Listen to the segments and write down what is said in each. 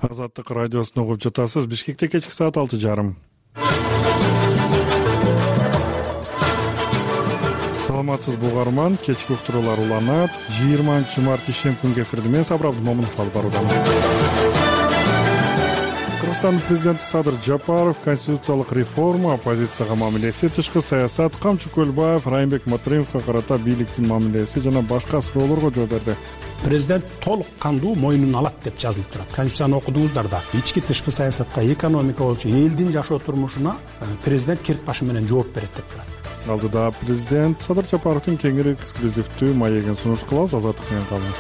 Азаттык радиосун угуп жатасыз. Бишкекте кечки саат 6:30. Саламатсызбы угарман, кечки уктуруулар уланат. 20-март ишемби күнгө эфирди мен Сабыр Абдымомунов алып баруудамын. Кыргызстандын президенти Садыр Жапаров конституциялык реформа, оппозицияга мамилеси, тышкы саясат, Камчы Көлбаев, Райымбек Матыримовго карата бийликтин мамилеси жана башка суроолорго жооп берди. Президент толук кандуу мойнуна алат деп жазылып турат. Конституцияны окудуңуздар да. Ички тышкы саясатка, экономика болчу элдин жашоо турмушуна президент кирт башы менен жооп берет деп турат. Алдыда президент Садыр Жапаровдун кеңири эксклюзивдүү маегин сунуш кылабыз. Азаттык менен калыңыз.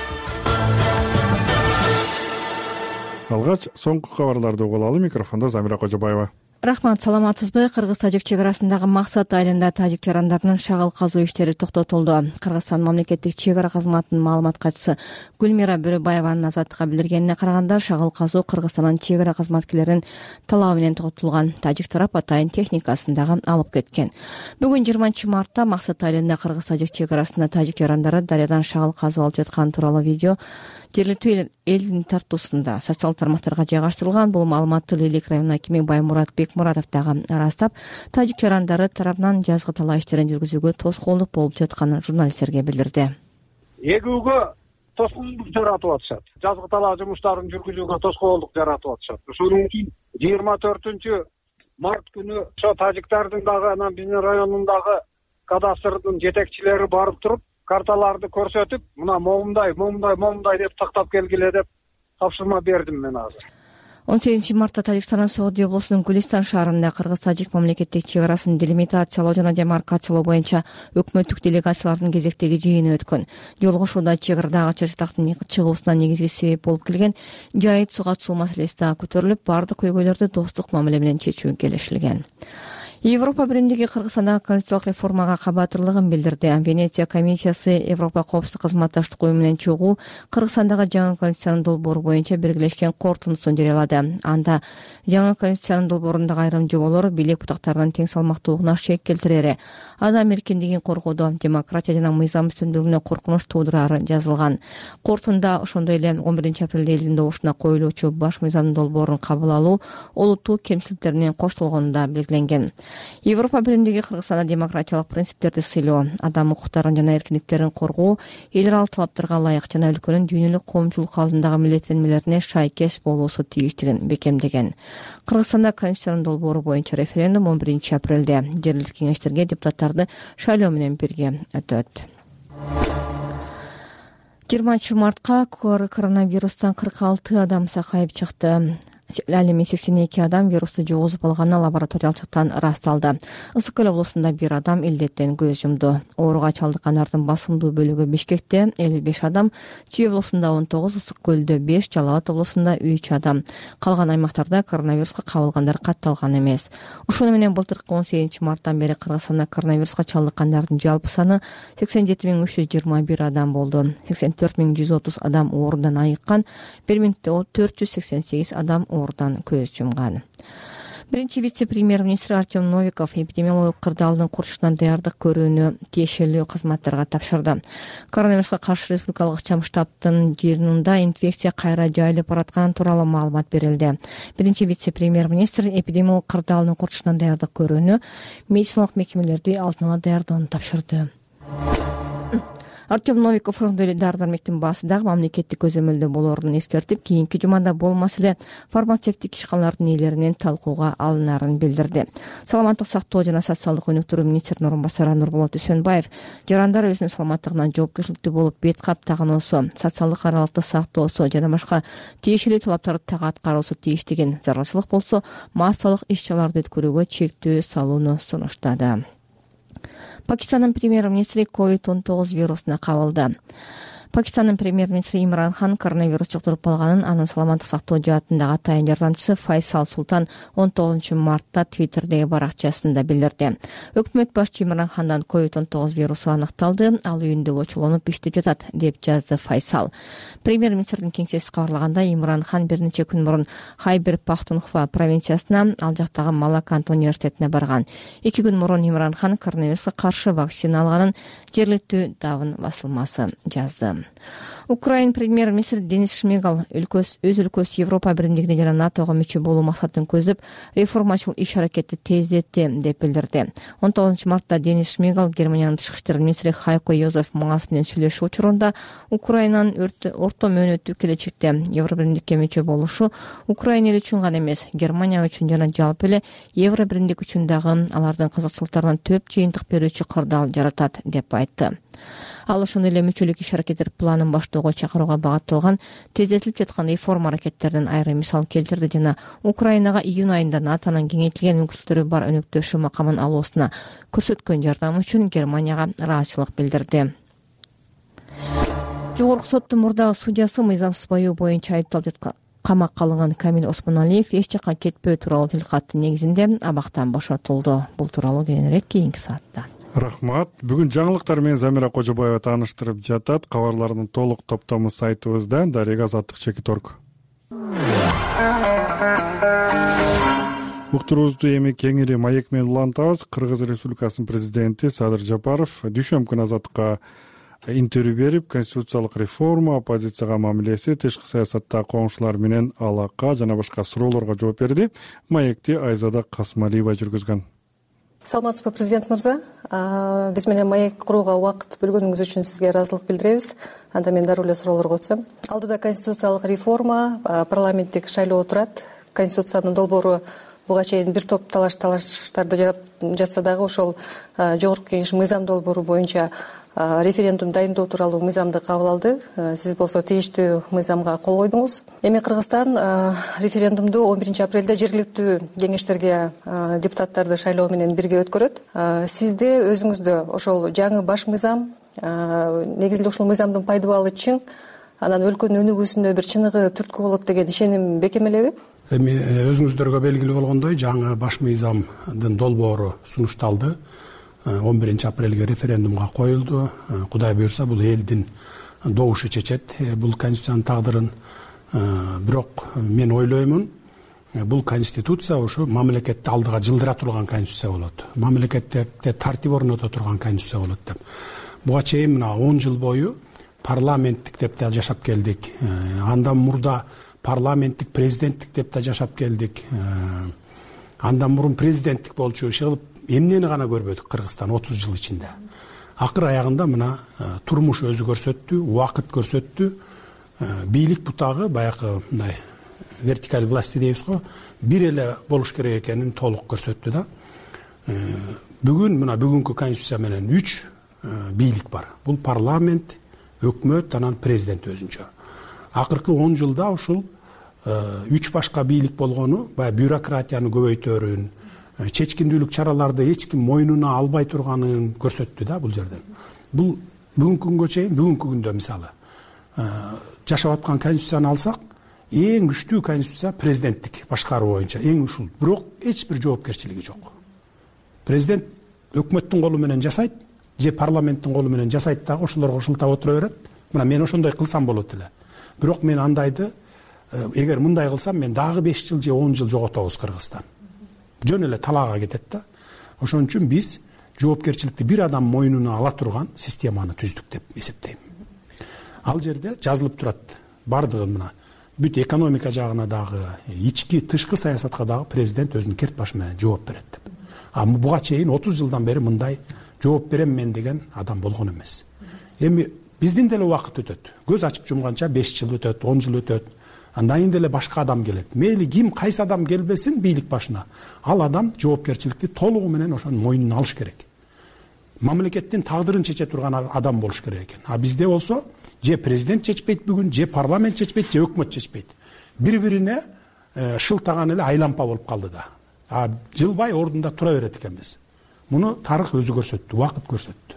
Алгач соңку кабарларды угуп алалы. Микрофондо Замира Кожобаева. Рахмат, саламатсызбы? Кыргыз-тажик чек арасындагы Максат айылында тажик жарандарынын шагыл казуу иштери токтотулду. Кыргызстан мамлекеттик чек ара кызматынын маалымат катчысы Гүлмира Бөрөбаеванын Азаттыкка билдиргенине караганда, шагыл казуу Кыргызстандын чек ара кызматкерлеринин талабы менен токтотулган. Тажик тарап атайын техникасын дагы алып кеткен. Бүгүн 20-мартта Максат айылында Кыргыз-тажик чек арасында тажик жарандары дарыядан шагыл казып алып жаткан тууралуу видео жергиликтүү элдин тартуусунда социалдык тармактарга жайгаштырылган. Бул маалыматты Лейлек районунун акими Баймурат Бекмуратов дагы ырастап, тажик жарандары тарабынан жазгы талаа иштерин жүргүзүүгө тоскоолдук болуп жатканын журналисттерге билдирди. Эгүүгө тоскоолдук жаратып атышат. Жазгы талаа жумуштарын жүргүзүүгө тоскоолдук жаратып атышат. Ошон үчүн 24-март күнү ошо тажиктардын дагы анан биздин районундагы кадастрдын жетекчилери барып туруп, карталарды көрсөтүп, мына момундай деп тактап келгиле деп тапшырма бердим мен азыр. 18-мартта Тажикстандын Сооди облусунун Гүлистан шаарында Кыргыз-тажик мамлекеттик чек арасын делимитациялоо жана демаркациялоо боюнча өкмөттүк делегациялардын кезектеги жыйыны өткөн. Жолугушууда чек арадагы чачтактын чыгуусуна негизги себеп болуп келген жайыт суга чуу маселеси дагы көтөрүлүп, бардык көйгөйлөрдү достук мамиле менен чечүү келишилген. Европа биримдиги Кыргызстандагы конституциялык реформага кабатырлыгын билдирди. Венеция комиссиясы Европа коопсуздук кызматташтык уюму менен чогуу Кыргызстандагы жаңы конституциянын долбоору боюнча биргелешкен корутундусун жарыялады. Анда жаңы конституциянын долбоорундагы айрым жоболор бийлик бутактарынын тең салмактуулугуна шек келтирери, адам эркиндигин коргоодо, демократия жана мыйзам үстүндүгүнө коркунуч туудурары жазылган. Корутунда ошондой эле 11-апрелде элдин добушуна коюлуучу баш мыйзамдын долбоорун кабыл алуу олуттуу кемчиликтеринин коштолгону да белгиленген. Европа биримдиги Кыргызстанда демократиялык принциптерди сыйлоо, адам укуктарын жана эркиндиктерин коргоо, эл аралык талаптарга ылайык жана өлкөнүн дүйнөлүк коомчулук алдындагы милдеттенмелерине шайкеш болуусу тийиштигин бекемдеген. Кыргызстанда конституциянын долбоору боюнча референдум 11-апрелде жергиликтүү кеңештерге депутаттарды шайлоо менен бирге өтөт. 20-мартка коронавирустан 46 адам сакайып чыкты. Ал эми 82 адам вирусту жугузуп алганы лабораториялык жактан ырасталды. Ысык Көл облусунда 1 адам илдеттен көз жумду. Ооруга чалдыккандардын басымдуу бөлүгү Бишкекте 55 адам, Чүй облусунда 19, Ысык Көлдө 5, Жалал Абад облусунда 3 адам. Калган аймактарда коронавируска кабылгандар катталган эмес. Ошону менен былтыркы 18-марттан бери Кыргызстанда коронавируска чалдыккандардын жалпы саны 87.321 адам болду. 84.130 адам оорудан айыккан, 1.488 адам оорудан көз жумган. Биринчи вице-премьер-министр Артем Новиков эпидемиологиялык кырдаалдын курчушунан даярдык көрүүнү тиешелүү кызматтарга тапшырды. Коронавируска каршы республикалык ыкчам штабтын жыйынында инфекция кайра жайылып баратканы тууралуу маалымат берилди. Биринчи вице-премьер-министр эпидемиологиялык кырдаалдын курчушунан даярдык көрүүнү, медициналык мекемелерди алдын ала даярдоону тапшырды. Артем Новиков дары-дармектин баасы дагы мамлекеттик көзөмөлдө болоорун эскертип, кийинки жумада болмаса эле фармацевтик ишканалардын ээлери менен талкууга алынарын билдирди. Саламаттык сактоо жана социалдык өнүктүрүү министринин орун басары Нурболот Үсөнбаев жарандар өзүнүн саламаттыгына жоопкерчиликтүү болуп бет кап тагынуусу, социалдык аралыкты сактоосу жана башка тиешелүү талаптарды так аткаруусу тийиштигин, зарылчылык болсо массалык иш-чараларды өткөрүүгө чектөө салууну сунуштады. Пакистандын премьер-министри COVID-19 вирусуна кабылды. Пакистандын премьер-министри Имран Хан коронавирус жуктуруп алганын анын саламаттык сактоо жаатындагы атайын жардамчысы Файсал Султан 19-мартта Твиттердеги баракчасында билдирди. Өкмөт башчы Имран Хандан COVID-19 вирусу аныкталды, ал үйүндө очолонуп иштеп жатат, деп жазды Файсал. Премьер-министрдин кеңсеси кабарлаганда, Имран Хан бир нече күн мурун Хайбер Пахтунхва провинциясына, ал жактагы Малаканд университетине барган. 2 күн мурун Имран Хан коронавируска каршы вакцина алганын жергиликтүү Давн басылмасы жазды. Украин премьер-министри Денис Шмыгал өз өлкөсү Европа биримдигине жана НАТОго мүчө болуу максатын көздөп, реформачыл иш-аракетти тездетти деп билдирди. 19 мартта Денис Шмыгал Германиянын тышкы иштер министри Хайко Йозеф Маас менен сүйлөшүү учурунда Украинанын орто мөөнөттүү келечекте Евробиримдикке мүчө болушу Украина эл үчүн гана эмес, Германия үчүн жана жалпы эле Евробиримдик үчүн дагы алардын кызыкчылыктарына төп жыйынтык берүүчү кырдаал жаратат деп айтты. Ал ошондой эле мүчөлүк иш-аракеттер планын баштоого чакырууга багытталган тездетилип жаткан реформа аракеттеринин айрым мисал келтирди жана Украинага июнь айында НАТОнун кеңейтилген мүмкүнчүлүктөрү бар өнөктөшүү макамын алуусуна көрсөткөн жардамы үчүн Германияга ыраазычылык билдирди. Жогорку соттун мурдагы судьясы мыйзамсыз баюу боюнча айыпталып камакка алынган Камил Осмоналиев эч жакка кетпөө тууралуу тилкаттын негизинде абактан бошотулду. Бул тууралуу кийинирээк кийинки саатта. Рахмат. Бүгүн жаңылыктар менен Замира Кожобаева тааныштырып жатат. Кабарлардын толук топтому сайтыбызда darega@chekit.org. Уктуруубузду эми кеңири маек менен улантабыз. Кыргыз Республикасынын президенти Садыр Жапаров дүйшөмбү күнү Азаттыкка интервью берип, конституциялык реформа, оппозицияга мамилеси, тышкы саясаттагы коңшулар менен алака жана башка суроолорго жооп берди. Маекти Айзада Касмалиева жүргүзгөн. Саламатсызбы, президент мырза. Биз менен маек курууга убакыт бөлгөнүңүз үчүн сизге ыраазычылык билдиребиз. Анда мен дароо эле суроолорго өтсөм. Алдыда конституциялык реформа, парламенттик шайлоо турат. Конституциянын долбоору буга чейин бир топ талаштарды жатса дагы ошол жогорку кеңеш мыйзам долбоору боюнча референдум дайындоо тууралуу мыйзамды кабыл алды. Сиз болсо тийиштүү мыйзамга кол койдуңуз. Эми Кыргызстан референдумду 11 апрелде жергиликтүү кеңештерге депутаттарды шайлоо менен бирге өткөрөт. Сизде өзүңүздө ошол жаңы баш мыйзам, негизинде ушул мыйзамдын пайдабалы чың, анан өлкөнүн өнүгүүсүнө бир чыныгы түрткү болот деген ишеним бекемелеби? Эми өзүңүздөргө белгилүү болгондой, жаңы баш мыйзамдын долбоору сунушталды. 11 апрелге референдумга коюлду. Кудай буйрса бул элдин добушу чечет бул конституциянын тагдырын. Бирок мен ойлоймун, бул конституция ушу мамлекетти алдыга жылдыра турган конституция болот. Мамлекетте тартип орното турган конституция болот деп. Буга чейин мына 10 жыл бою парламенттик деп да жашап келдик. Андан мурда парламенттик, президенттик деп да жашап келдик. Андан мурун президенттик болчу иши кылып эмнени гана көрбөдүк Кыргызстан 30 жыл ичинде. Акыр аягында мына турмуш өзү көрсөттү, убакыт көрсөттү. Бийлик бутагы баягы мындай вертикаль власти дейбиз го, бир эле болуш керек экенин толук көрсөттү да. Бүгүн мына бүгүнкү конституция менен 3 бийлик бар. Бул парламент, өкмөт, анан президент өзүнчө. Акыркы 10 жылда ушул 3 башка бийлик болгону баягы бюрократияны көбөйтөрүн, чечкиндүүлүк чараларды эч ким мойнуна албай турганын көрсөттү да бул жерден. Бул бүгүнкү күнгө чейин, бүгүнкү күндө мисалы жашап аткан конституцияны алсак, эң күчтүү конституция президенттик башкаруу боюнча, эң ушул. Бирок эч бир жоопкерчилиги жок. Президент өкмөттүн колу менен жасайт, же парламенттин колу менен жасайт дагы ошолорго шылтап отура берет. Мына мен ошондой кылсам болот эле. Бирок мен андайды эгер мындай кылсам мен дагы 5 жыл же 10 жыл жоготобуз Кыргызстан. Жөн эле талаага кетет да. Ошон үчүн биз жоопкерчиликти бир адам мойнуна ала турган системаны түздүк деп эсептейм. Ал жерде жазылып турат бардыгы мына бүт экономика жагына дагы, ички тышкы саясатка дагы президент өзүнүн керт башы менен жооп берет деп. Буга чейин 30 жылдан бери мындай жооп берем мен деген адам болгон эмес. Эми биздин деле убакыт өтөт. Көз ачып жумганча 5 жыл өтөт, 10 жыл өтөт. Андан деле башка адам келет. Мейли ким кайсы адам келбесин бийлик башына. Ал адам жоопкерчиликти толугу менен ошонун мойнуна алыш керек. Мамлекеттин тагдырын чече турган адам болуш керек экен. Бизде болсо же президент чечпейт бүгүн, же парламент чечпейт, же өкмөт чечпейт. Бири-бирине шылтаган эле айлампа болуп калды да. Жылбай ордунда тура берет экенбиз. Муну тарых өзү көрсөттү, убакыт көрсөттү.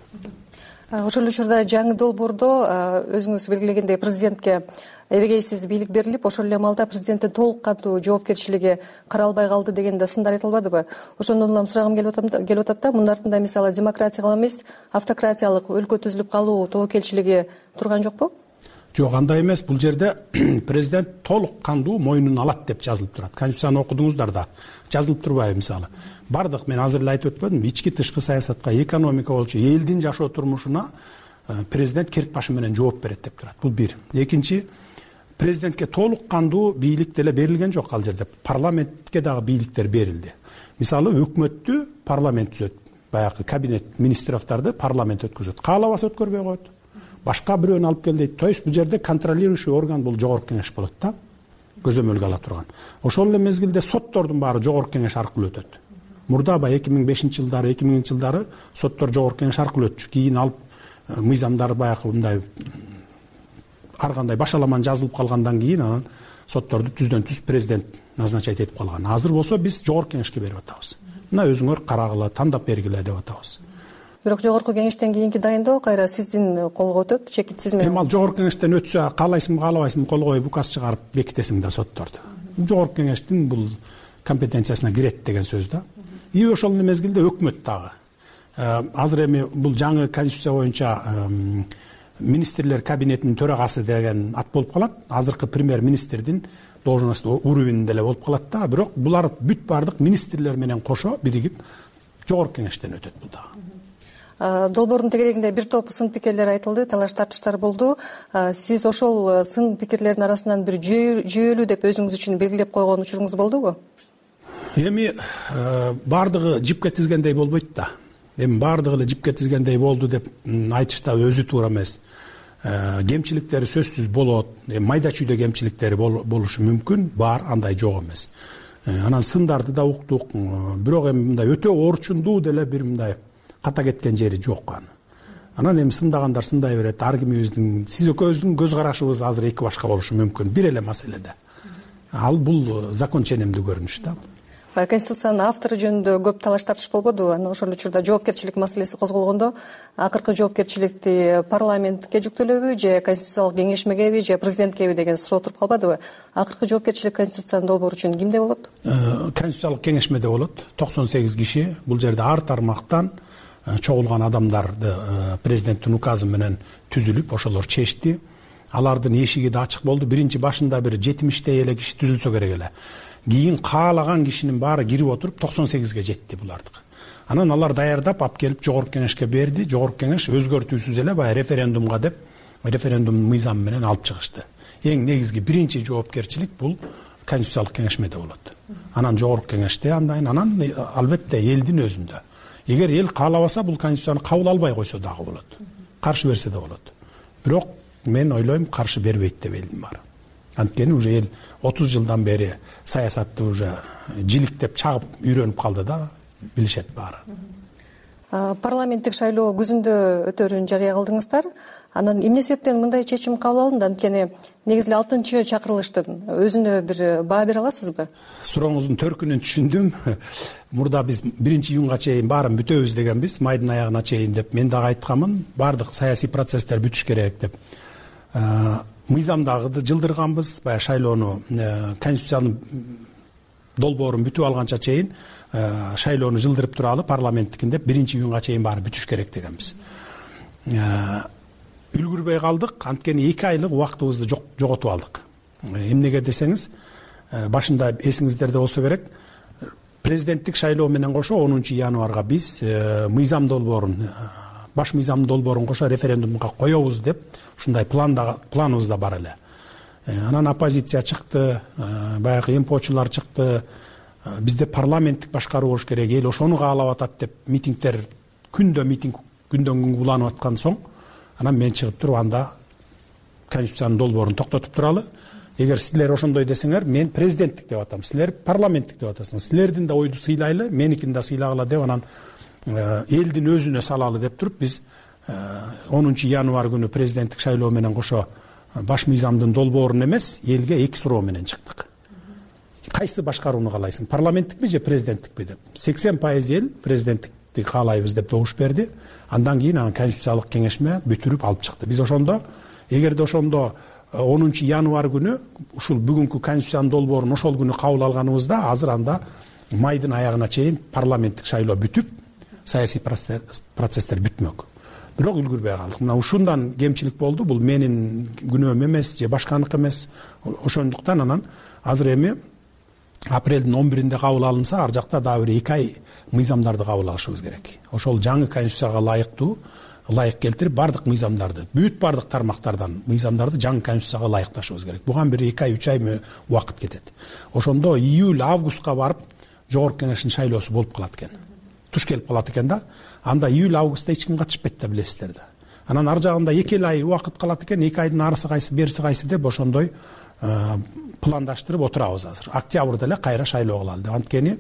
Ошол учурда жаңы долбоордо өзүңүз белгилегендей президентке эбегейсиз бийлик берилип, ошол эле маалда президенттин толук кандуу жоопкерчилиги каралбай калды деген да сындар айтылбадыбы? Ошондон улам сурагым келип атат да, мунун артында мисалы демократиялык эмес, автократиялык өлкө түзүлүп калуу тобокелчилиги турган жокпу? Жок, андай эмес. Бул жерде президент толук кандуу мойнуна алат деп жазылып турат. Конституцияны окудуңуздар да. Жазылып турбайбы мисалы? Бардык мен азыр эле айтып өткөндүм, ички тышкы саясатка, экономика болчу, элдин жашоо турмушуна президент керт башы менен жооп берет деп турат. Бул бир. Экинчи, президентке толук кандуу бийлик деле берилген жок ал жерде. Парламентке дагы бийликтер берилди. Мисалы, өкмөттү парламент түзөт. Баягы кабинет министровдарды парламент өткөзөт. Каалабаса өткөрбөй коет. Башка бирөөнү алып кел дейт. То есть бул жерде контролирующий орган бул жогорку кеңеш болот да. Көзөмөлгө ала турган. Ошол эле мезгилде соттордун баары жогорку кеңеш аркылуу өтөт. Мурда 2005-жылдары, 2000-жылдары соттор жогорку кеңеш аркылуу өтчү. Кийин алып мыйзамдар баягы мындай ар кандай башаламан жазылып калгандан кийин анан сотторду түздөн түз президент назначать этип калган. Азыр болсо биз жогорку кеңешке берип атабыз. Мына өзүңөр карагыла, тандап бергиле деп атабыз. Бирок жогорку кеңештен кийинки дайындоо кайра сиздин колго өтөт, чекитсиз менен. Ал жогорку кеңештен өтсө, каалайсыңбы, каалабайсыңбы, кол коюп указ чыгарып бекитесиң да сотторду. Жогорку кеңештин бул компетенциясына кирет деген сөз да. И ошол мезгилде өкмөт дагы. Азыр эми бул жаңы конституция боюнча министрлер кабинетинин төрагасы деген ат болуп калат. Азыркы премьер-министрдин должносту уровенинде эле болуп калат да. Бирок булар бүт бардык министрлер менен кошо биригип жогорку кеңештен өтөт бул дагы. Долбоордун тегерегинде бир топ сын пикирлер айтылды, талаш тартыштар болду. Сиз ошол сын пикирлердин арасынан бир жүйөлүү деп өзүңүз үчүн белгилеп койгон учуруңуз болдубу? Эми бардыгы жипке тизгендей болбойт да. Эми бардыгы эле жипке тизгендей болду деп айтыш да өзү туура эмес. Кемчиликтери сөзсүз болот. Майда чүйдө кемчиликтери болушу мүмкүн, бар, андай жок эмес. Анан сындарды да уктук. Бирок эми мындай өтө орчундуу деле бир мындай ката кеткен жери жок аны. Анан эми сындагандар сындай берет. Ар кимибиздин, сиз экөөбүздүн көз карашыбыз азыр эки башка болушу мүмкүн. Бир эле маселеде. Ал бул закон ченемдүү көрүнүш да. Конституциянын автору жөнүндө көп талаш тартыш болбоду. Анан ошол учурда жоопкерчилик маселеси козголгондо, акыркы жоопкерчиликти парламентке жүктөлөбү же конституциялык кеңешмегеби же президенткеби деген суроо туруп калбадыбы? Акыркы жоопкерчилик конституциянын долбоору үчүн кимде болот? Конституциялык кеңешмеде болот. 98 киши. Бул жерде ар тармактан чогулган адамдарды президенттин указы менен түзүлүп, ошолор чечти. Алардын эшиги да ачык болду. Биринчи башында бир 70 эле киши түзүлсө керек эле. Кийин каалаган кишинин баары кирип отуруп 98ге жетти булардык. Анан алар даярдап алып келип жогорку кеңешке берди. Жогорку кеңеш өзгөртүүсүз эле баягы референдумга деп референдум мыйзамы менен алып чыгышты. Эң негизги биринчи жоопкерчилик бул конституциялык кеңешмеде болот. Анан жогорку кеңеште анан албетте элдин өзүндө. Эгер эл каалабаса бул конституцияны кабыл албай койсо дагы болот. Каршы берсе да болот. Бирок мен ойлойм каршы бербейт деп элдин баары. Анткени уже эл 30 жылдан бери саясатты уже жиликтеп чагып үйрөнүп калды да, билишет баары. Парламенттик шайлоо күзүндө өтөрүн жарыя кылдыңыздар. Анан эмне себептен мындай чечим кабыл алынды? Анткени негизи 6-чакырылыштын өзүнө бир баа бере аласызбы? Сурооңуздун төркүнүн түшүндүм. Мурда биз 1-июнга чейин баарын бүтөбүз дегенбиз, майдын аягына чейин деп. Мен дагы айтканмын, баардык саясий процесстер бүтүш керек деп. Мыйзамдагыды жылдырганбыз, баягы шайлоону, конституциянын долбоорун бүтүп алганча чейин шайлоону жылдырып туралы парламенттикин деп 1-июнга чейин баары бүтүш керек дегенбиз. Үлгүрбөй калдык, анткени 2 айлык убактыбызды жоготуп алдык. Эмнеге десеңиз, башында эсиңиздерде болсо керек, президенттик шайлоо менен кошо 10 январга биз мыйзам долбоорун, баш мыйзам долбоорун кошо референдумга коебуз деп ушундай планыбызда бар эле. Анан оппозиция чыкты, баягы эмпочулар чыкты. Бизде парламенттик башкаруу болуш керек, эл ошону каалап атат деп митингдер күндөн күнгө уланып аткан соң, анан мен чыгып туруп анда конституциянын долбоорун токтотуп туралы. Эгер силер ошондой десеңер, мен президенттик деп атам, силер парламенттик деп атасыңар. Силердин да ойду сыйлайлы, меникин да сыйлагыла деп анан элдин өзүнө салалы деп туруп биз 10 январь күнү президенттик шайлоо менен кошо баш мыйзамдын долбоорун эмес, элге 2 суроо менен чыктык. Кайсы башкарууну каалайсың, парламенттикпи же президенттикпи деп. 80% эл президенттикти каалайбыз деп добуш берди. Андан кийин конституциялык кеңешме бүтүрүп алып чыкты. Биз ошондо, эгерде ошондо 10 январь күнү ушул бүгүнкү конституциянын долбоорун ошол күнү кабыл алганыбызда, азыр анда майдын аягына чейин парламенттик шайлоо бүтүп, саясий процесстер бүтмөк. Бирок үлгүрбөй калдык. Мына ушундан кемчилик болду. Бул менин күнөөм эмес же башканыкы эмес. Ошондуктан анан азыр эми апрелдин 11-inde кабыл алынса, ар жакта дагы бир 2 ай мыйзамдарды кабыл алышыбыз керек. Ошол жаңы конституцияга ылайыктуу ылайык келтирип баардык мыйзамдарды, бүт баардык тармактардан мыйзамдарды жаңы конституцияга ылайыкташыбыз керек. Буга бир 2 ай 3 ай убакыт кетет. Ошондо июль августка барып жогорку кеңештин шайлоосу болуп калат экен. Туш келип калат экен да. Анда июль августта эч ким катышпайт да, билесиздер да. Анан ар жагында 2 ай убакыт калат экен. 2 айдын арысы кайсы, бериси кайсы деп ошондой пландаштырып отурабыз азыр. Октябрда эле кайра шайлоо кылалы деп. Анткени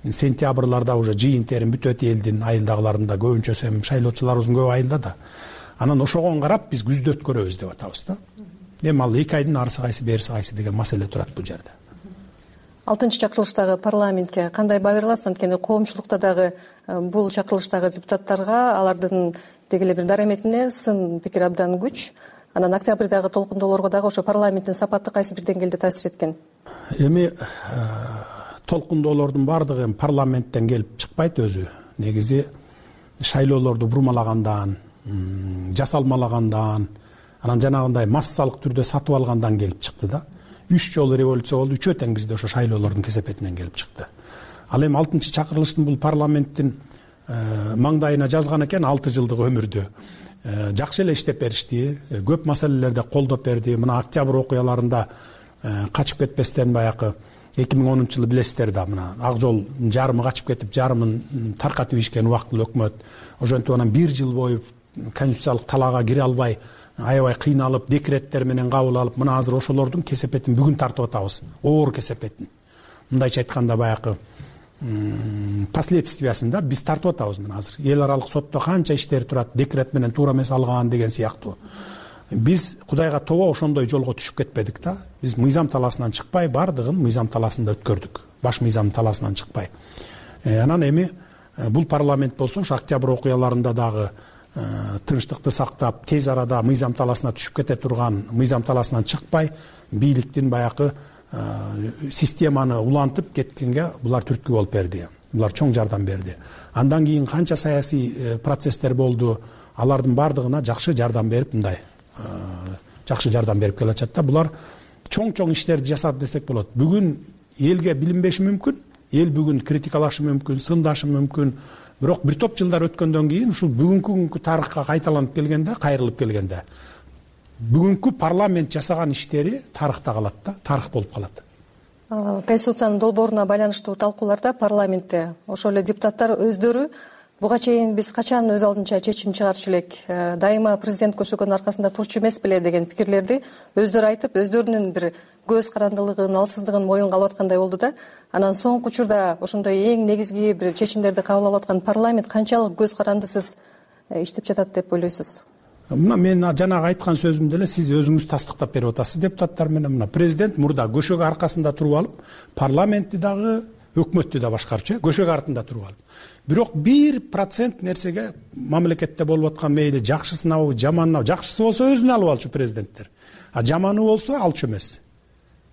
сентябрларда уже жыйын терим бүтөт элдин айылдагыларында, көбүнчөсү эми шайлоочуларыбыздын көбү айылда да. Анан ошого карап биз күздө өткөрөбүз деп атабыз да. Эми ал 2 айдын арысы кайсы, бериси кайсы деген маселе турат бул жерде. 6-чакырылыштагы парламентке кандай баа берилат? Анткени коомчулукта дагы бул чакырылыштагы депутаттарга алардын дегеле бир дараметине сын пикир абдан күч. Анан октябрдагы толкундоолорго дагы ошо парламенттин сапаты кайсы бир деңгээлде таасир эткен? Эми толкундоолордун баардыгы эми парламенттен келип чыкпайт өзү. Негизи шайлоолорду бурмалагандан, жасалмалагандан, анан жанагындай массалык түрдө сатып алгандан келип чыкты да. 3 жолу революция болду, 3 тең бизде ошо шайлоолордун кесепетинен келип чыкты. Ал эми 6-чакырылыштын бул парламенттин маңдайына жазган экен 6 жылдык өмүрдү. Жакшы эле иштеп беришти, көп маселелерде колдоп берди. Мына октябрь окуяларында качып кетпестен баягы 2010-жылы билесиздер да, мына Ак Жол жарымы качып кетип, жарымын таркатып ишкен убактылуу өкмөт. Ошентип анан 1 жыл бою конституциялык талаага кире албай, аябай кыйналып, декреттер менен кабыл алып, мына азыр ошолордун кесепетин бүгүн тартып атабыз. Оор кесепетин. Мындайча айтканда баягы последствиясында биз тартып атабыз мына азыр. Эл аралык сотто канча иштер турат, декрет менен туура эмес алган деген сыяктуу. Биз Кудайга тобо ошондой жолго түшүп кетпедик да. Биз мыйзам талаасынан чыкпай, бардыгын мыйзам талаасында өткөрдүк. Баш мыйзам талаасынан чыкпай. Анан эми бул парламент болсо ошо октябрь окуяларында дагы тынчтыкты сактап, тез арада мыйзам талаасына түшүп кете турган, мыйзам талаасынан чыкпай, бийликтин баягы системаны улантып кеткенге булар түрткү болуп берди. Булар чоң жардам берди. Андан кийин канча саясий процесстер болду, алардын бардыгына жакшы жардам берип, мындай жакшы жардам берип келатат да. Булар чоң иштерди жасады десек болот. Бүгүн элге билинбеши мүмкүн, эл бүгүн критикалашы мүмкүн, сындашы мүмкүн. Бирок бир топ жылдар өткөндөн кийин ушул бүгүнкү тарыхка кайталанып келгенде, кайрылып келгенде, бүгүнкү парламент жасаган иштери тарыхта калат да, тарых болуп калат. Конституциянын долбооруна байланыштуу талкууларда парламентте ошол эле депутаттар өздөрү буга чейин биз качан өз алдынча чечим чыгарчу элек, дайыма президент көчөгөнүн аркасында турчу эмес беле деген пикирлерди өздөрү айтып, өздөрүнүн бир көз карандылыгын, алсыздыгын моюнга алып аткандай болду да. Анан соңку учурда ошондой эң негизги бир чечимдерди кабыл алып аткан парламент канчалык көз карандысыз иштеп жатат деп ойлойсуз? Мына мен жанагы айткан сөзүмдө эле сиз өзүңүз тастыктап берип атасыз депутаттар менен. Мына президент мурда көшөгө аркасында туруп алып, парламентти дагы, өкмөттү да башкарчу, көшөгө артында туруп алып. Бирок 1% нерсеге мамлекетте болуп аткан мейли жакшысынабы, жаманынабы, жакшысы болсо өзүнө алып алчу президенттер. А жаманы болсо алчу эмес.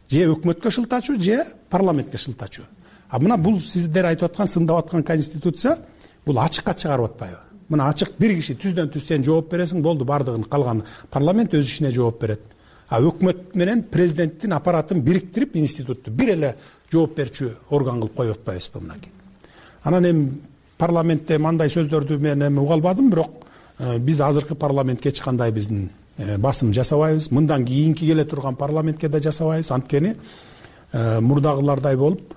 Же өкмөткө шылтачу, же парламентке шылтачу. А мына бул сиздер айтып аткан, сындап аткан конституция бул ачыкка чыгарып атпайбы? Мына ачык бир киши түздөн түз сен жооп бересиң, болду, бардыгын калган парламент өз ишине жооп берет. А өкмөт менен президенттин аппаратын бириктирип институтту бир эле жооп берчү орган кылып коюп атпайбызбы мынакей. Анан эми парламентте мындай сөздөрдү мен эми уга албадым, бирок биз азыркы парламентке эч кандай биздин басым жасабайбыз. Мындан кийинки келе турган парламентке да жасабайбыз. Анткени мурдагылардай болуп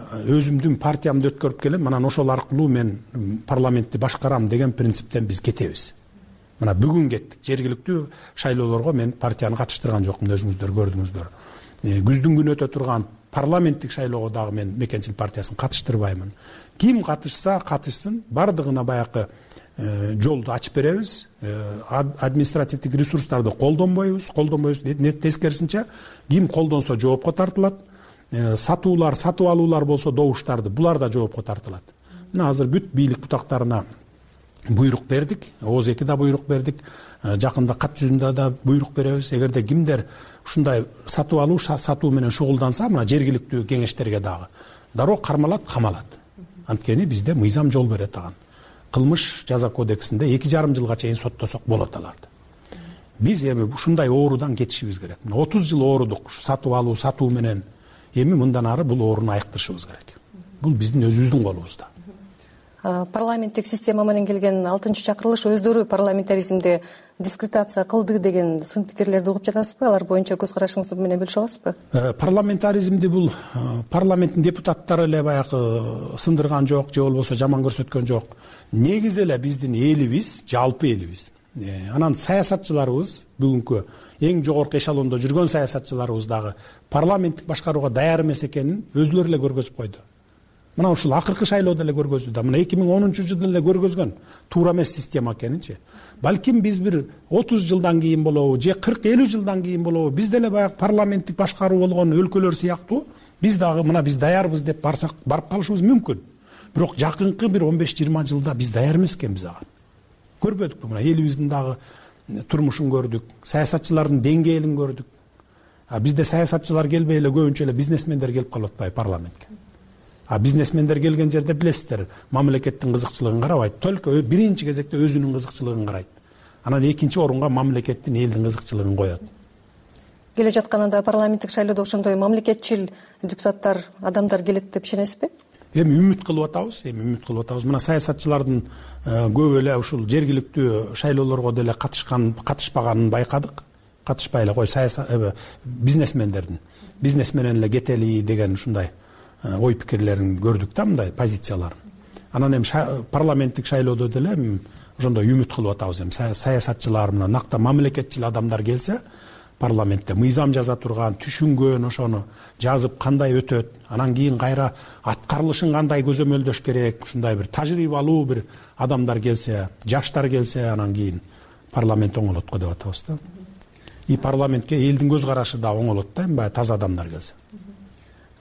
өзүмдүн партиямды өткөрүп келем, анан ошол аркылуу мен парламентти башкарам деген принциптен биз кетебиз. Мына бүгүн кеттик. Жергиликтүү шайлоолорго мен партияны катыштырган жокмун, өзүңүздөр көрдүңүздөр. Күздүн күнү өтө турган парламенттик шайлоого дагы мен Мекенчил партиясын катыштырбаймын. Ким катышса катышсын, бардыгына баягы жолду ачып беребиз. Административдик ресурстарды колдонбойбуз. Тескерисинче ким колдонсо жоопко тартылат. Сатуулар, сатып алуулар болсо добуштарды, булар да жоопко тартылат. Мына азыр бүт бийлик бутактарына буйрук бердик, ООЗ-ге да буйрук бердик, жакында кат жүзүндө да буйрук беребиз. Эгерде кимдер ушундай сатып алуу, сатуу менен шугулданса, мына жергиликтүү кеңештерге дагы дароо кармалат, камалат. Анткени бизде мыйзам жол берет аган. Кылмыш жаза кодексинде 2,5 жылга чейин соттосок болот аларды. Биз эми ушундай оорудан кетишибиз керек. 30 жыл оорудук сатып алуу, сатуу менен. Эми мындан ары бул ооруну айыктырышыбыз керек. Бул биздин өзүбүздүн колубузда. парламенттик система менен келген 6-чакырылыш өздөрү парламентаризмде дискредитация кылды деген сын пикирлерди угуп жатасызбы? Алар боюнча көз карашыңызды менен бөлүшө аласызбы? Парламентаризмди бул парламенттин депутаттары эле баягы сындырган жок, же болбосо жаман көрсөткөн жок. Негизи эле биздин элибиз, жалпы элибиз. Анан саясатчыларыбыз, бүгүнкү эң жогорку эшелондо жүргөн саясатчыларыбыз дагы парламенттик башкарууга даяр эмес экенин өзүлөрү эле көргөзүп койду. Мына ушул акыркы шайлоодо эле көргөздү да. Мына 2010 эле көргөзгөн туура эмес система экенинчи. Балким биз бир 30 жылдан кийин болобу, же 40-50 жылдан кийин болобу, биз деле баягы парламенттик башкаруу болгон өлкөлөр сыяктуу биз дагы мына биз даярбыз деп барсак барып калышыбыз мүмкүн. Бирок жакынкы бир 15-20 жылда биз даяр эмес экенбиз ага. Көрбөдүкпү? Мына элибиздин дагы турмушун көрдүк, саясатчылардын деңгээлин көрдүк. Бизде саясатчылар келбей эле көбүнчө эле бизнесмендер келип калып атпайбы парламентке? Бизнесмендер келген жерде билесиздер, мамлекеттин кызыкчылыгын карабайт, только биринчи кезекте өзүнүн кызыкчылыгын карайт. Анан экинчи орунга мамлекеттин, элдин кызыкчылыгын коет. Келе жатканында парламенттик шайлоодо ошондой мамлекетчил депутаттар, адамдар келет деп ишенесизби? Эми үмүт кылып атабыз. Мына саясатчылардын көбү эле ушул жергиликтүү шайлоолорго деле катышпаганын байкадык. Катышпай эле кой бизнес менен эле кетели деген ушундай ой пикирлерин көрдүк да, мындай позицияларын. Анан эми парламенттик шайлоодо деле ошондой үмүт кылып атабыз. Эми саясатчылар мына накта мамлекетчил адамдар келсе, парламентте мыйзам жаза турган, түшүнгөн, ошону жазып кандай өтөт, анан кийин кайра аткарылышын кандай көзөмөлдөш керек, ушундай бир тажрыйбалуу бир адамдар келсе, жаштар келсе, анан кийин парламент оңолот го деп атабыз да. И парламентке элдин көз карашы да оңолот да, баягы таза адамдар келсе.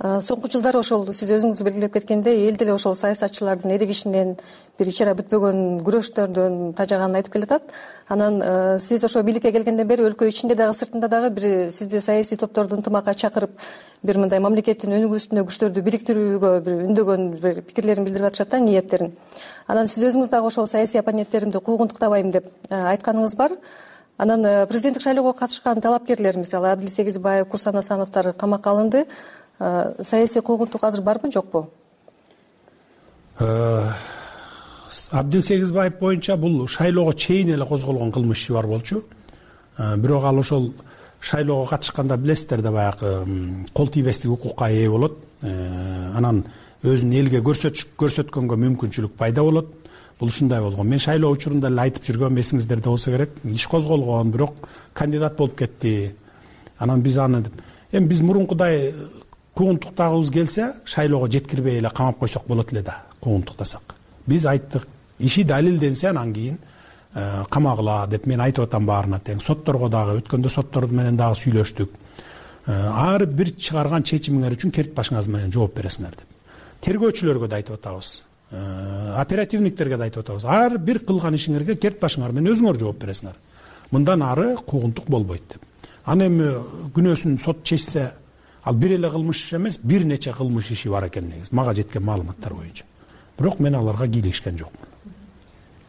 Соңку жылдары ошол сиз өзүңүз белгилеп кеткендей, эл деле ошол саясатчылардын эрегишинен, бир ичара бүтпөгөн күрөштөрдөн тажаганын айтып келатат. Анан сиз ошо бийликке келгенден бери өлкө ичинде дагы сыртында дагы бир сизди саясий топторду ынтымакка чакырып, бир мындай мамлекеттин өнүгүүсүнө күчтөрдү бириктирүүгө бир үндөгөн бир пикирлерин билдирип атышат да, ниеттерин. Анан сиз өзүңүз дагы ошол саясий оппоненттеримди куугунтуктабайм деп айтканыңыз бар. Анан президенттик шайлоого катышкан талапкерлер, мисалы Абдил Сегизбаев, Курсан Асановдор камакка алынды. Саясий куугунтук азыр барбы, жокпу? Абдил Сегизбаев боюнча бул шайлоого чейин эле козголгон кылмыш иши бар болчу. Бирок ал ошол шайлоого катышканда билесиздер да, баягы кол тийбестик укукка ээ болот. Анан өзүн элге көрсөткөнгө мүмкүнчүлүк пайда болот. Бул ушундай болгон. Мен шайлоо учурунда эле айтып жүргөм, эсиңиздерде болсо керек. Иш козголгон, бирок кандидат болуп кетти. Анан биз аны эми биз мурункудай куугунтуктагыбыз келсе, шайлоого жеткирбей эле камап койсок болот эле да, куугунтуктасак. Биз айттык, иши далилденсе анан кийин камагыла деп мен айтып атам баарына тең. Сотторго дагы өткөндө соттор менен дагы сүйлөштүк. Ар бир чыгарган чечимиңер үчүн керт башыңыз менен жооп бересиңер деп. Тергөөчүлөргө да айтып атабыз. Оперативниктерге да айтып атабыз. Ар бир кылган ишиңерге керт башыңар менен өзүңөр жооп бересиңер. Мындан ары куугунтук болбойт деп. Аны эми күнөөсүн сот чечсе, ал бир эле кылмыш иши эмес, бир нече кылмыш иши бар экен негизи, мага жеткен маалыматтар боюнча. Бирок мен аларга кийлигишкен жокмун.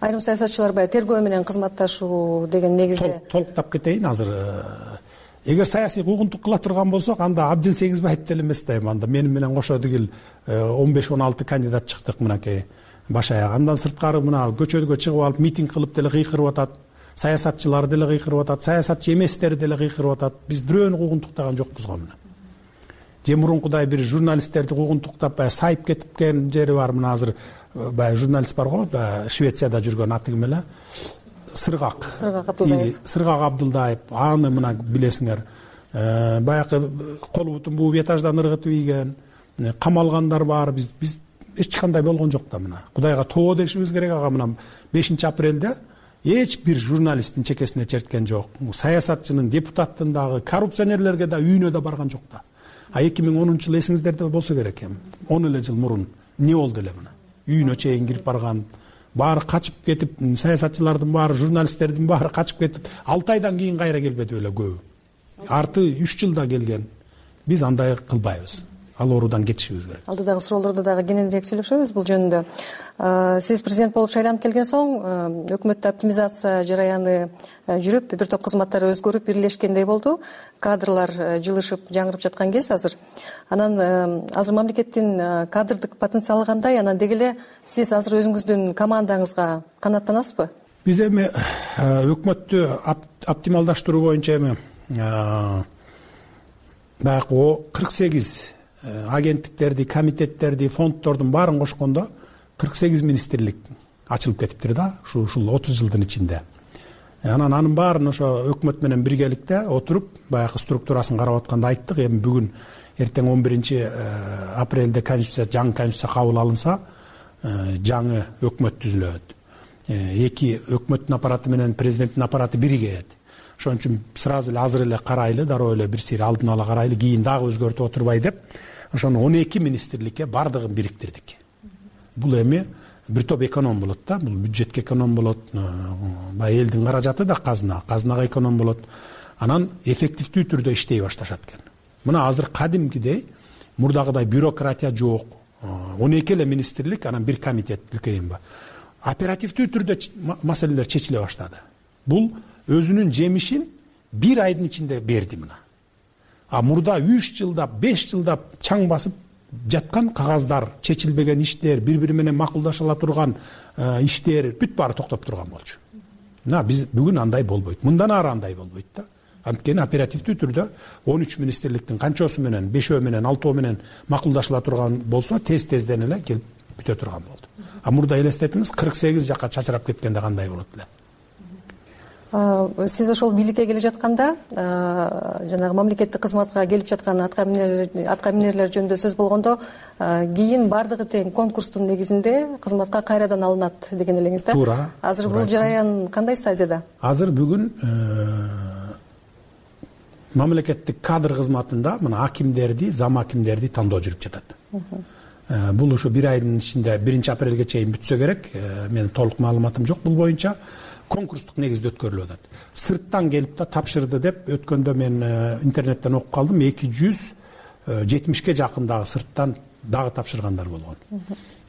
Айрым саясатчылар баягы тергөө менен кызматташуу деген негизде толуктап кетейин азыр. Эгер саясий куугунтук кыла турган болсок, анда Абдил Сегизбаев деле эмес да, анда менин менен кошо дегил 15-16 кандидат чыктык мынакей баш аяк. Андан сырткары мына көчөгө чыгып алып митинг кылып деле кыйкырып атат. Саясатчылар деле кыйкырып атат, саясатчы эместер деле кыйкырып атат. Биз бирөөнү куугунтуктаган жокпуз го мына. Же мурункудай бир журналисттерди куугунтуктап баягы сайып кеткен жери бар. Мына азыр баягы журналист бар го, Швецияда жүргөн, аты ким эле? Сыргак Абдылдаев. Аны мына билесиңер. Баягы колу бутун бууп этаждан ыргытып ийген, камалгандар бар. Биз эч кандай болгон жок да мына. Кудайга тоо дешибиз керек. Ага мына 5-апрелде эч бир журналисттин чекесине черткен жок. Саясатчынын, депутаттын дагы, коррупционерлерге да үйүнө да барган жок да. 2010 жыл эсиңиздерде болсо керек эми. 10 эле жыл мурун эмне болду эле мына. Үйүнө чейин кирип барган, баары качып кетип, саясатчылардын баары, журналисттердин баары качып кетип, 6 айдан кийин кайра келбеди эле көбү. Арты 3 жылда келген. Биз андай кылбайбыз. ал оорудан кетишибиз керек. Алдыдагы суроолордо дагы кененирээк сүйлөшөбүз бул жөнүндө. Сиз президент болуп шайланып келген соң өкмөттө оптимизация жараяны жүрүп, бир топ кызматтар өзгөрүп, бирлешкендей болду. Кадрлар жылышып, жаңырып жаткан кез азыр. Анан азыр мамлекеттин кадрдык потенциалы кандай? Анан деги эле сиз азыр өзүңүздүн командаңызга канааттанасызбы? Биз эми өкмөттү оптималдаштыруу боюнча эми баягы 48 агенттиктерди, комитеттерди, фонддордун баарын кошкондо 48 министрлик ачылып кетиптир да, ушул 30 жылдын ичинде. Анан анын баарын ошо өкмөт менен биргеликте отуруп, баягы структурасын карап атканда айттык. Эми бүгүн эртең 11 апрелде жаңы конституция кабыл алынса, жаңы өкмөт түзүлөт. Эки өкмөттүн аппараты менен президенттин аппараты биригет. Ошон үчүн сразу эле азыр эле карайлы, дароо эле бир сыйра алдын ала карайлы, кийин дагы өзгөртүп отурбай деп, ошону 12 министрликке бардыгын бириктирдик. Бул эми бир топ эконом болот да, бул бюджетке эконом болот, баягы элдин каражаты да казынага эконом болот. Анан эффективдүү түрдө иштей башташат экен. Мына азыр кадимкидей мурдагыдай бюрократия жок. 12 эле министрлик, анан бир комитет БКМ. Оперативдүү түрдө маселелер чечиле баштады. Бул өзүнүн жемишин бир айдын ичинде берди мына. Мурда 3 жылдап, 5 жылдап чаң басып жаткан кагаздар, чечилбеген иштер, бири-бири менен макулдаша ала турган иштер бүт баары токтоп турган болчу. Мына биз бүгүн андай болбойт. Мындан ары андай болбойт да. Анткени оперативдүү түрдө 13 министрликтин канчоосу менен, 5өө менен, 6өө менен макулдашыла турган болсо, тез-тезден эле келип бүтө турган болду. Мурда элестетиңиз, 48 жакка чачырап кеткенде кандай болот эле. Сиз ошол бийликке келе жатканда, жанагы мамлекеттик кызматка келип жаткан атка минерлер жөнүндө сөз болгондо, кийин бардыгы тең конкурстун негизинде кызматка кайрадан алынат деген элеңиз да? Туура. Азыр бул жараян кандай стадияда? Азыр бүгүн мамлекеттик кадр кызматында мына акимдерди, зам акимдерди тандоо жүрүп жатат. Бул ушу бир айдын ичинде 1 апрелге чейин бүтсө керек. Менин толук маалыматым жок бул боюнча. Конкурстук негизде өткөрүлүп атат. Сырттан келип да тапшырды деп өткөндө мен интернеттен окуп калдым. 270ке жакын дагы сырттан дагы тапшыргандар болгон.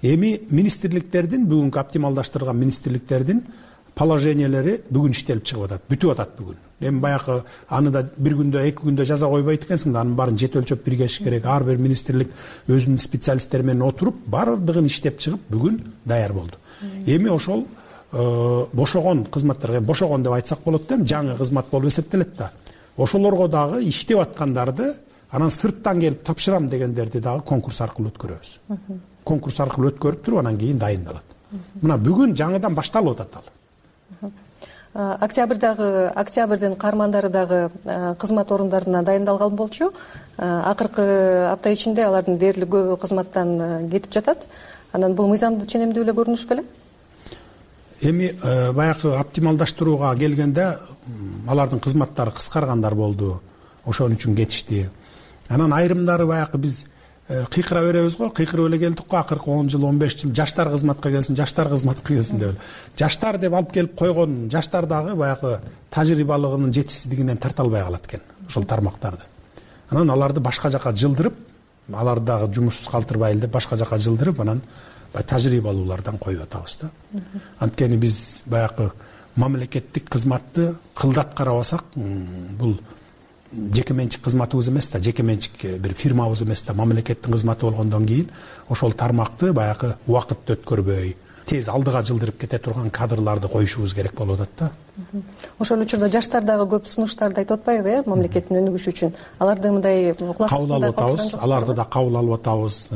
Эми министрликтердин, бүгүнкү оптималдаштырылган министрликтердин положениялери бүгүн иштелип чыгып атат, бүтүп атат бүгүн. Эми баягы аны да бир күндө, 2 күндө жаза койбойт экенсиң да, анын баарын жет өлчөп биргешиш керек. Ар бир министрлик өзүнүн специалисттери менен отуруп, бардыгын иштеп чыгып бүгүн даяр болду. Эми ошол бошогон кызматтарга, бошогон деп айтсак болот да, жаңы кызмат болуп эсептелет да. Ошолорго дагы иштеп аткандарды, анан сырттан келип тапшырам дегендерди дагы конкурс аркылуу өткөрөбүз. Конкурс аркылуу өткөрүп туруп, анан кийин дайындалат. Мына бүгүн жаңыдан башталып атат ал. Октябрдын каармандары дагы кызмат орундарына дайындалган болчу. Акыркы апта ичинде алардын дээрлик көбү кызматтан кетип жатат. Анан бул мыйзамдуу ченемдүү эле көрүнүш беле? Эми баягы оптималдаштырууга келгенде алардын кызматтары кыскаргандар болду. Ошон үчүн кетишти. Анан айрымдары баягы биз кыйкыра беребиз го, кыйкырып эле келдик го, акыркы 10 жыл, 15 жыл жаштар кызматка келсин, жаштар кызматка келсин деп. Жаштар деп алып келип койгон жаштар дагы баягы тажрыйбалыгынын жетишсиздигинен тарта албай калат экен, ошол тармактарды. Анан аларды башка жака жылдырып, аларды дагы жумушсуз калтырбайлы деп башка жака жылдырып, анан тажрыйбалуулардан коюп атабыз да. Анткени биз баягы мамлекеттик кызматты кылдат карабасак, бул жеке менчик кызматыбыз эмес да, жеке менчик бир фирмабыз эмес да, мамлекеттин кызматы болгондон кийин ошол тармакты баягы убакытты өткөрбөй, тез алдыга жылдырып кете турган кадрларды коюшубуз керек болуп атат да. Ошол учурда жаштар дагы көп сунуштарды айтып атпайбы, мамлекеттин өнүгүшү үчүн? Аларды мындай кабыл алып атабыз, аларды да кабыл алып атабыз.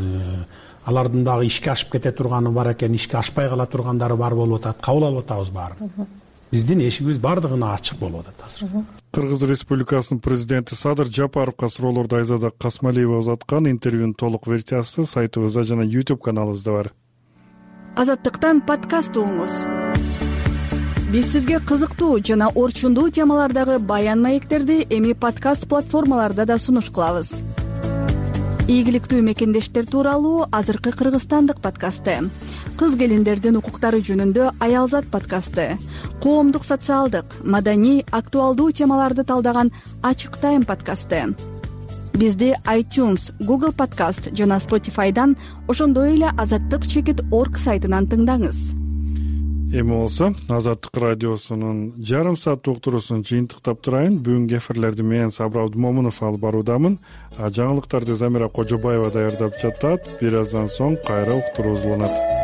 Алардын дагы ишке ашып кете турганы бар экен, ишке ашпай кала тургандары бар болуп атат. Кабыл алып атабыз баарын. Биздин эшигибиз бардыгына ачык болуп атат азыр. Кыргыз Республикасынын президенти Садыр Жапаровго суроолорду Айзада Касмалиева узаткан интервьюнун толук версиясы сайтыбызда жана YouTube каналыбызда бар. Азаттыктан подкаст угуңуз. Биз сизге кызыктуу жана орчундуу темалардагы баян маектерди эми подкаст платформаларда да сунуш кылабыз. Ийгиликтүү мекендештер тууралуу азыркы кыргызстандык подкасты, кыз келиндердин укуктары жөнүндө Аялзат подкасты, коомдук социалдык, маданий, актуалдуу темаларды талдаган Ачык Тайм подкасты, бизди iTunes, Google Podcast жана Spotify'дан, ошондой эле azattik.org сайтынан тыңдаңыз. Эми болсо Азаттык радиосунун жарым сааттык уктуруусун жыйынтыктап турайын. Бүгүнкү эфирлерди мен Сабыр Абдымомунов алып баруудамын. Жаңылыктарды Замира Кожобаева даярдап жатат. Бир аздан соң кайра уктуруу узуланат.